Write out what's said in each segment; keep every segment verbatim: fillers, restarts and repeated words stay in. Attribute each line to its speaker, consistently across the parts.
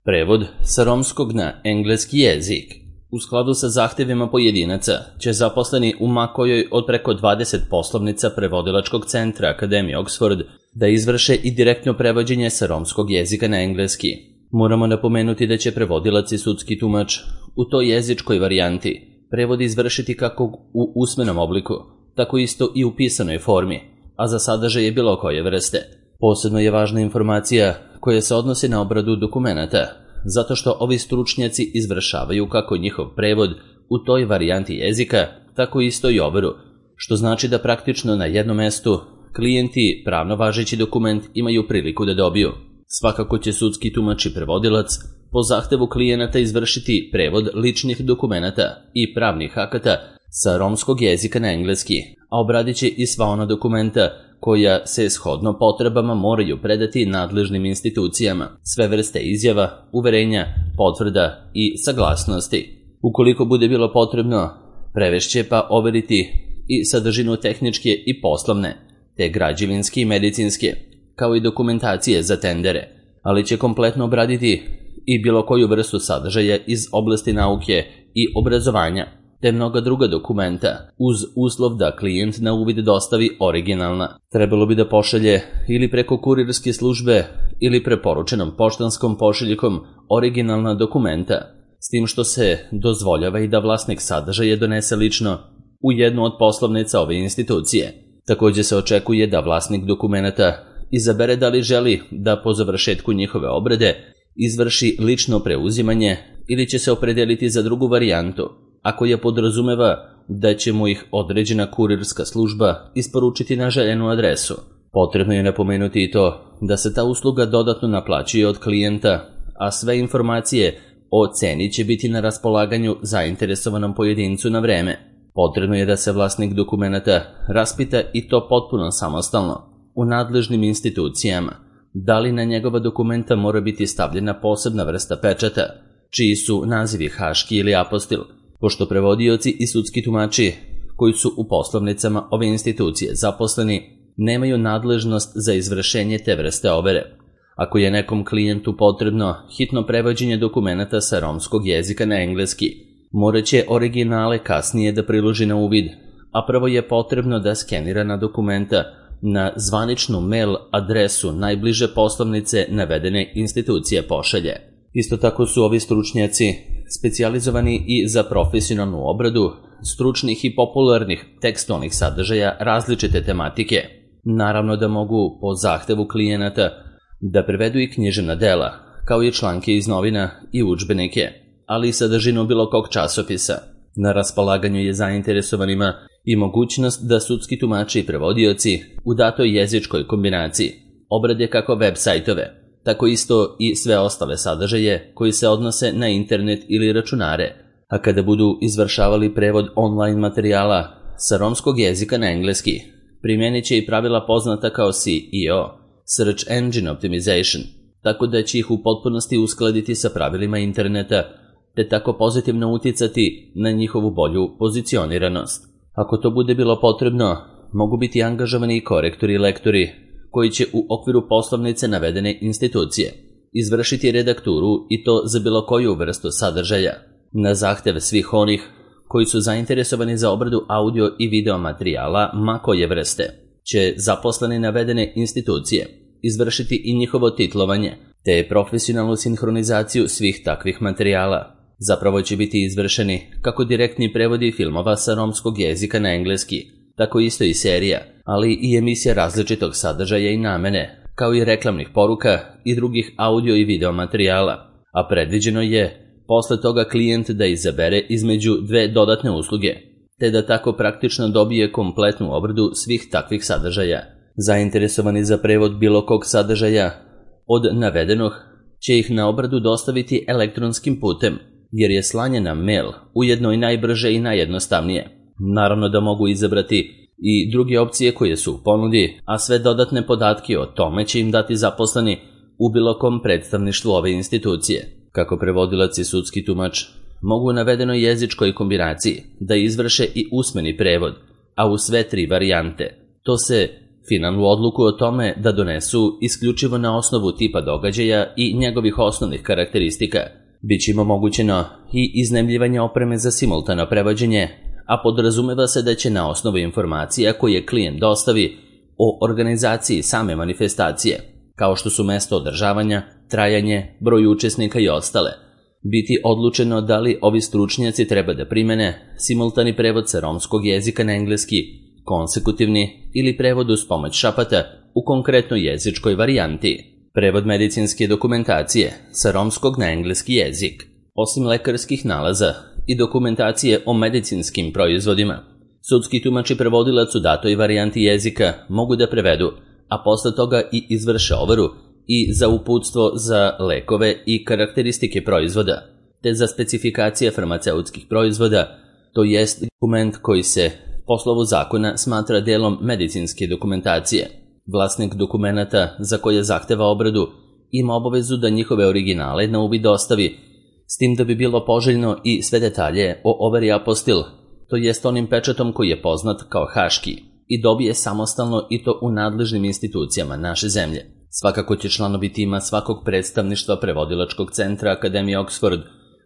Speaker 1: Prevod sa romskog na engleski jezik. U skladu sa zahtevima pojedinaca će zaposleni u ma kojoj od preko dvadeset poslovnica prevodilačkog centra Akademije Oxford da izvrše i direktno prevođenje sa romskog jezika na engleski. Moramo napomenuti da će prevodilac i sudski tumač u toj jezičkoj varijanti prevod izvršiti kako u usmenom obliku, tako isto i u pisanoj formi, a za sadržaje bilo koje vrste. Posebno je važna informacija koja se odnosi na obradu dokumenata, zato što ovi stručnjaci izvršavaju kako njihov prevod u toj varijanti jezika, tako isto i overu, što znači da praktično na jednom mestu klijenti pravno važeći dokument imaju priliku da dobiju. Svakako će sudski tumač i prevodilac po zahtevu klijenata izvršiti prevod ličnih dokumenata i pravnih akata sa romskog jezika na engleski, a obradit će i sva ona dokumenta koja se shodno potrebama moraju predati nadležnim institucijama, sve vrste izjava, uverenja, potvrda i saglasnosti. Ukoliko bude bilo potrebno, prevešće pa overiti i sadržinu tehničke i poslovne, te građevinske i medicinske, kao i dokumentacije za tendere, ali će kompletno obraditi i bilo koju vrstu sadržaja iz oblasti nauke i obrazovanja, te mnoga druga dokumenta, uz uslov da klijent na uvid dostavi originalna. Trebalo bi da pošalje ili preko kurirske službe ili preporučenom poštanskom pošiljkom originalna dokumenta, s tim što se dozvoljava i da vlasnik sadržaja donese lično u jednu od poslovnica ove institucije. Također se očekuje da vlasnik dokumenata izabere da li želi da po završetku njihove obrade izvrši lično preuzimanje ili će se opredeliti za drugu varijantu, ako je podrazumeva da će mu ih određena kurirska služba isporučiti na željenu adresu. Potrebno je napomenuti i to da se ta usluga dodatno naplaćuje od klijenta, a sve informacije o ceni će biti na raspolaganju zainteresovanom pojedincu na vreme. Potrebno je da se vlasnik dokumenata raspita i to potpuno samostalno u nadležnim institucijama, da li na njegova dokumenta mora biti stavljena posebna vrsta pečata, čiji su nazivi haški ili apostil, pošto prevodioci i sudski tumači koji su u poslovnicama ove institucije zaposleni nemaju nadležnost za izvršenje te vrste overe. Ako je nekom klijentu potrebno hitno prevođenje dokumenata sa romskog jezika na engleski, morat će originale kasnije da priloži na uvid, a prvo je potrebno da skenirana dokumenta na zvaničnu mail adresu najbliže poslovnice navedene institucije pošalje. Isto tako su ovi stručnjaci specijalizovani i za profesionalnu obradu stručnih i popularnih tekstovnih sadržaja različite tematike. Naravno da mogu po zahtevu klijenata da prevedu i književna dela, kao i članke iz novina i udžbenike, ali i sadržinu bilo kog časopisa. Na raspolaganju je zainteresovanima i mogućnost da sudski tumači i prevodioci u datoj jezičkoj kombinaciji obrade kako web sajtove, tako isto i sve ostale sadržaje koji se odnose na internet ili računare, a kada budu izvršavali prevod online materijala sa romskog jezika na engleski, primijenit će i pravila poznata kao S E O, Search Engine Optimization, tako da će ih u potpunosti uskladiti sa pravilima interneta, te tako pozitivno uticati na njihovu bolju pozicioniranost. Ako to bude bilo potrebno, mogu biti angažovani i korektori i lektori koji će u okviru poslovnice navedene institucije izvršiti redakturu i to za bilo koju vrstu sadržaja. Na zahtev svih onih koji su zainteresovani za obradu audio i video materijala ma koje vrste, će zaposleni navedene institucije izvršiti i njihovo titlovanje, te profesionalnu sinhronizaciju svih takvih materijala. Zapravo će biti izvršeni kako direktni prevodi filmova sa romskog jezika na engleski, tako isto i serija, ali i emisija različitog sadržaja i namene, kao i reklamnih poruka i drugih audio i video materijala, a predviđeno je posle toga klijent da izabere između dve dodatne usluge, te da tako praktično dobije kompletnu obradu svih takvih sadržaja. Zainteresovani za prevod bilo kog sadržaja od navedenog će ih na obradu dostaviti elektronskim putem, jer je slanje na mail ujedno i najbrže i najjednostavnije. Naravno da mogu izabrati i druge opcije koje su u ponudi, a sve dodatne podatke o tome će im dati zaposleni u bilo kom predstavništvu ove institucije. Kako prevodilac i sudski tumač mogu u navedenoj jezičkoj kombinaciji da izvrše i usmeni prevod, a u sve tri varijante. To se finalnu odluku o tome da donesu isključivo na osnovu tipa događaja i njegovih osnovnih karakteristika. Biće im omogućeno i iznajmljivanje opreme za simultano prevođenje, a podrazumeva se da će na osnovu informacija koje klijent dostavi o organizaciji same manifestacije, kao što su mesto održavanja, trajanje, broj učesnika i ostale, biti odlučeno da li ovi stručnjaci treba da primene simultani prevod sa romskog jezika na engleski, konsekutivni ili prevod uz pomoć šapata u konkretnoj jezičkoj varijanti. Prevod medicinske dokumentacije sa romskog na engleski jezik. Osim lekarskih nalaza i dokumentacije o medicinskim proizvodima, sudski tumač i prevodilac u datoj varijanti jezika mogu da prevedu, a posle toga i izvrše overu i za uputstvo za lekove i karakteristike proizvoda, te za specifikacije farmaceutskih proizvoda, to jest dokument koji se po slovu zakona smatra delom medicinske dokumentacije. Vlasnik dokumenata za koje zahteva obradu ima obavezu da njihove originale na uvid dostavi, s tim da bi bilo poželjno i sve detalje o overi apostil, to jest onim pečatom koji je poznat kao haški, i dobije samostalno i to u nadležnim institucijama naše zemlje. Svakako će članovi tima svakog predstavništva prevodilačkog centra Akademije Oxford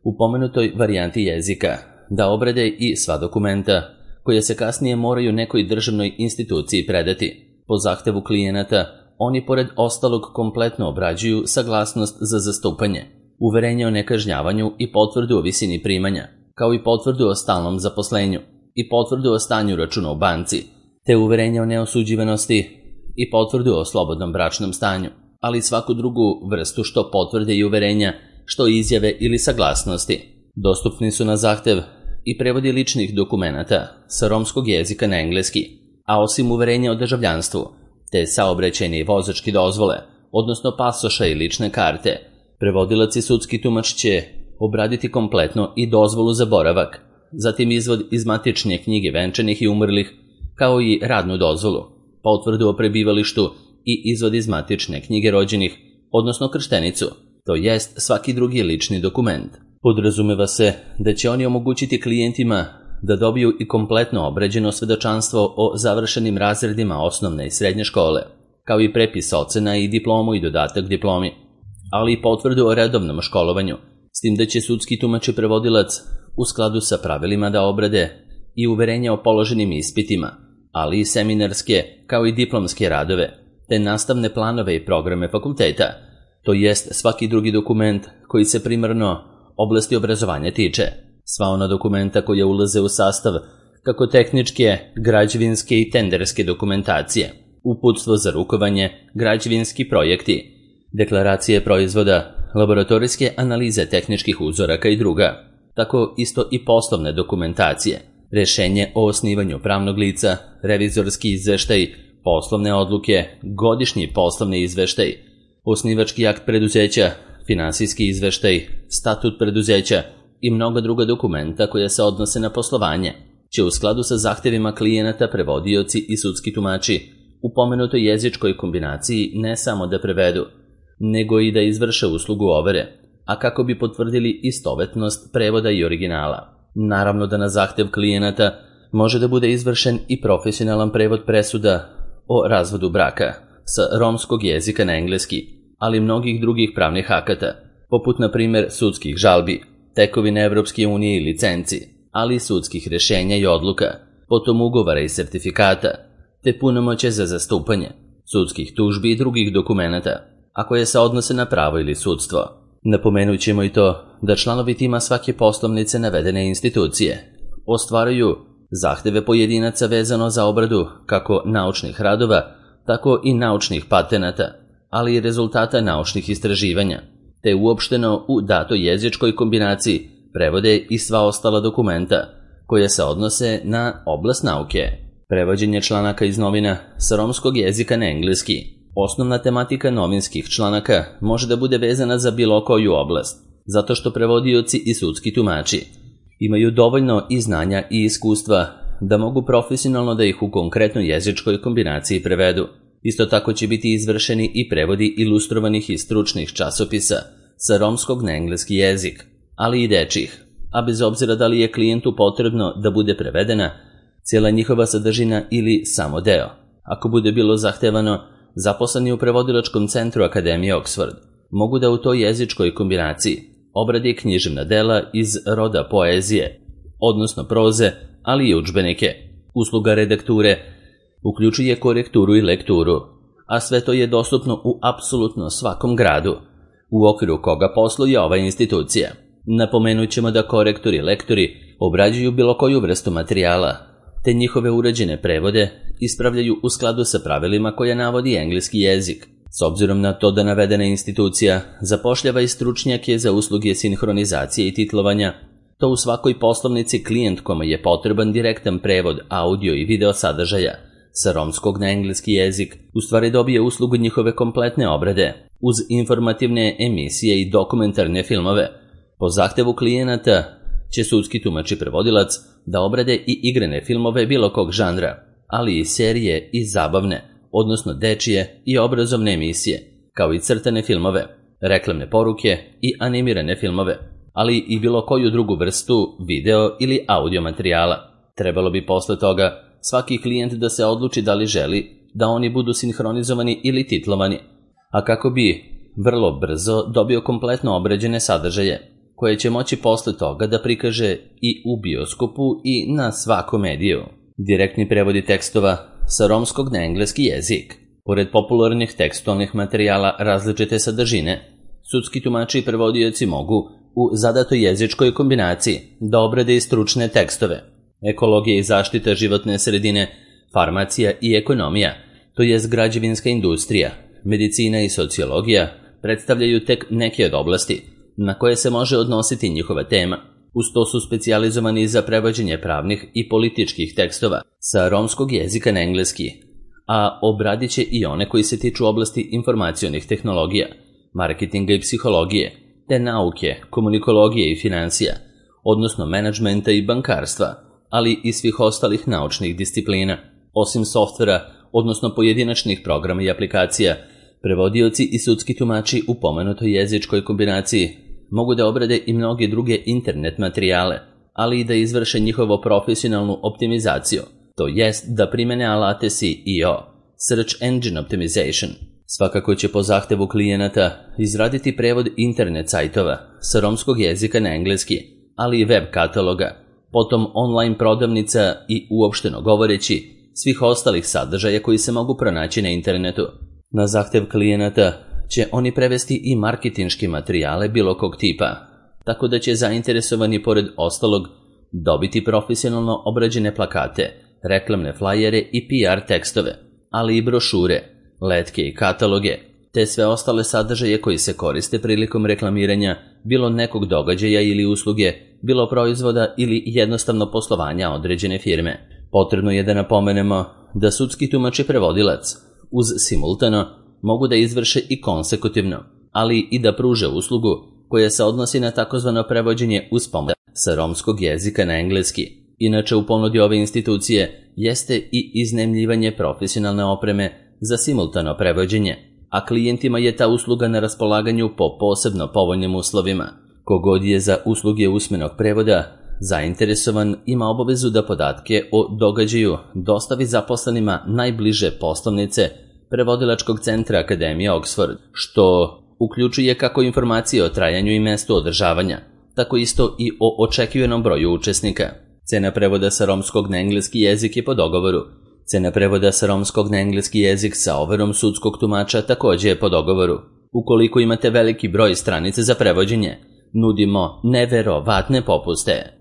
Speaker 1: u pomenutoj varijanti jezika da obrade i sva dokumenta koje se kasnije moraju nekoj državnoj instituciji predati. Po zahtevu klijenata, oni pored ostalog kompletno obrađuju saglasnost za zastupanje, uverenje o nekažnjavanju i potvrdu o visini primanja, kao i potvrdu o stalnom zaposlenju i potvrdu o stanju računa u banci, te uverenje o neosuđivanosti i potvrdu o slobodnom bračnom stanju, ali svaku drugu vrstu što potvrde i uverenja, što izjave ili saglasnosti. Dostupni su na zahtev i prevodi ličnih dokumenata sa romskog jezika na engleski, a osim uverenja o državljanstvu, te saobraćajne i vozačke dozvole, odnosno pasoša i lične karte, prevodilac i sudski tumač će obraditi kompletno i dozvolu za boravak, zatim izvod iz matične knjige venčanih i umrlih, kao i radnu dozvolu, potvrdu o prebivalištu i izvod iz matične knjige rođenih, odnosno krštenicu, to jest svaki drugi lični dokument. Podrazumeva se da će oni omogućiti klijentima da dobiju i kompletno obrađeno svedočanstvo o završenim razredima osnovne i srednje škole, kao i prepis ocena i diplomu i dodatak diplomi, ali i potvrdu o redovnom školovanju, s tim da će sudski tumač i prevodilac u skladu sa pravilima da obrade i uverenja o položenim ispitima, ali i seminarske kao i diplomske radove, te nastavne planove i programe fakulteta, to jest svaki drugi dokument koji se primarno oblasti obrazovanja tiče. Sva ona dokumenta koja ulaze u sastav kako tehničke, građevinske i tenderske dokumentacije, uputstvo za rukovanje, građevinski projekti, deklaracije proizvoda, laboratorijske analize tehničkih uzoraka i druga, tako isto i poslovne dokumentacije, rešenje o osnivanju pravnog lica, revizorski izveštaj, poslovne odluke, godišnji poslovni izveštaj, osnivački akt preduzeća, finansijski izveštaj, statut preduzeća i mnoga druga dokumenta koja se odnose na poslovanje, će u skladu sa zahtevima klijenata prevodioci i sudski tumači u pomenutoj jezičkoj kombinaciji ne samo da prevedu, nego i da izvrše uslugu overe, a kako bi potvrdili istovetnost prevoda i originala. Naravno da na zahtev klijenata može da bude izvršen i profesionalan prevod presuda o razvodu braka sa romskog jezika na engleski, ali mnogih drugih pravnih akata, poput na primjer sudskih žalbi, tekovine Evropske unije i licenci, ali i sudskih rešenja i odluka, potom ugovara i sertifikata, te punomoće za zastupanje, sudskih tužbi i drugih dokumenata, a koje se odnose na pravo ili sudstvo. Napomenut ćemo i to da članovi tima svake poslovnice navedene institucije ostvaruju zahteve pojedinaca vezano za obradu kako naučnih radova, tako i naučnih patenata, ali i rezultata naučnih istraživanja, te uopšteno u datoj jezičkoj kombinaciji prevode i sva ostala dokumenta koje se odnose na oblast nauke. Prevođenje članaka iz novina sa romskog jezika na engleski. Osnovna tematika novinskih članaka može da bude vezana za bilo koju oblast, zato što prevodioci i sudski tumači imaju dovoljno i znanja i iskustva da mogu profesionalno da ih u konkretnoj jezičkoj kombinaciji prevedu. Isto tako će biti izvršeni i prevodi ilustrovanih i stručnih časopisa sa romskog na engleski jezik, ali i dečjih, a bez obzira da li je klijentu potrebno da bude prevedena cijela njihova sadržina ili samo deo. Ako bude bilo zahtevano, zaposleni u prevodilačkom centru Akademije Oxford mogu da u toj jezičkoj kombinaciji obrade književna dela iz roda poezije, odnosno proze, ali i udžbenike. Usluga redakture uključuje korekturu i lekturu, a sve to je dostupno u apsolutno svakom gradu, u okviru koga posluje ova institucija. Napomenut ćemo da korektori i lektori obrađuju bilo koju vrstu materijala, te njihove urađene prevode ispravljaju u skladu sa pravilima koje navodi engleski jezik. S obzirom na to da navedena institucija zapošljava i stručnjake za usluge sinhronizacije i titlovanja, to u svakoj poslovnici klijent kome je potreban direktan prevod audio i video sadržaja sa romskog na engleski jezik u stvari dobije uslugu njihove kompletne obrade, uz informativne emisije i dokumentarne filmove. Po zahtevu klijenata će sudski tumač i prevodilac da obrade i igrane filmove bilo kog žanra, ali i serije i zabavne, odnosno dečije i obrazovne emisije, kao i crtane filmove, reklamne poruke i animirane filmove, ali i bilo koju drugu vrstu video ili audio materijala. Trebalo bi posle toga svaki klijent da se odluči da li želi da oni budu sinhronizovani ili titlovani, a kako bi vrlo brzo dobio kompletno obrađene sadržaje, koje će moći posle toga da prikaže i u bioskopu i na svakom mediju. Direktni prevodi tekstova sa romskog na engleski jezik. Pored popularnih tekstualnih materijala različite sadržine, sudski tumači i prevodioci mogu u zadatoj jezičkoj kombinaciji da obrade i stručne tekstove. Ekologija i zaštita životne sredine, farmacija i ekonomija, to jest građevinska industrija, medicina i sociologija, predstavljaju tek neke od oblasti na koje se može odnositi njihova tema. Uz to su specijalizovani za prevođenje pravnih i političkih tekstova sa romskog jezika na engleski, a obradit će i one koji se tiču oblasti informacionih tehnologija, marketinga i psihologije, te nauke, komunikologije i financija, odnosno menadžmenta i bankarstva, ali i svih ostalih naučnih disciplina. Osim softvera, odnosno pojedinačnih programa i aplikacija, prevodioci i sudski tumači u pomenutoj jezičkoj kombinaciji mogu da obrade i mnoge druge internet materijale, ali i da izvrše njihovo profesionalnu optimizaciju, to jest da primene alate S E O, Search Engine Optimization. Svakako će po zahtevu klijenata izraditi prevod internet sajtova sa romskog jezika na engleski, ali i web kataloga, potom online prodavnica i uopšteno govoreći svih ostalih sadržaja koji se mogu pronaći na internetu. Na zahtev klijenata će oni prevesti i marketinške materijale bilo kog tipa, tako da će zainteresovani pored ostalog dobiti profesionalno obrađene plakate, reklamne flajere i P R tekstove, ali i brošure, letke i kataloge, te sve ostale sadržaje koji se koriste prilikom reklamiranja bilo nekog događaja ili usluge, bilo proizvoda ili jednostavno poslovanja određene firme. Potrebno je da napomenemo da sudski tumač i prevodilac uz simultano mogu da izvrše i konsekutivno, ali i da pruže uslugu koja se odnosi na takozvano prevođenje uz pomoć sa romskog jezika na engleski. Inače, u ponudi ove institucije jeste i iznajmljivanje profesionalne opreme za simultano prevođenje, a klijentima je ta usluga na raspolaganju po posebno povoljnim uslovima. Kogod je za usluge usmenog prevoda zainteresovan ima obavezu da podatke o događaju dostavi zaposlenima najbliže poslovnice prevodilačkog centra Akademije Oxford, što uključuje kako informacije o trajanju i mestu održavanja, tako isto i o očekivanom broju učesnika. Cena prevoda sa romskog na engleski jezik je po dogovoru. Cena prevoda sa romskog na engleski jezik sa overom sudskog tumača također je po dogovoru. Ukoliko imate veliki broj stranice za prevođenje, nudimo neverovatne popuste.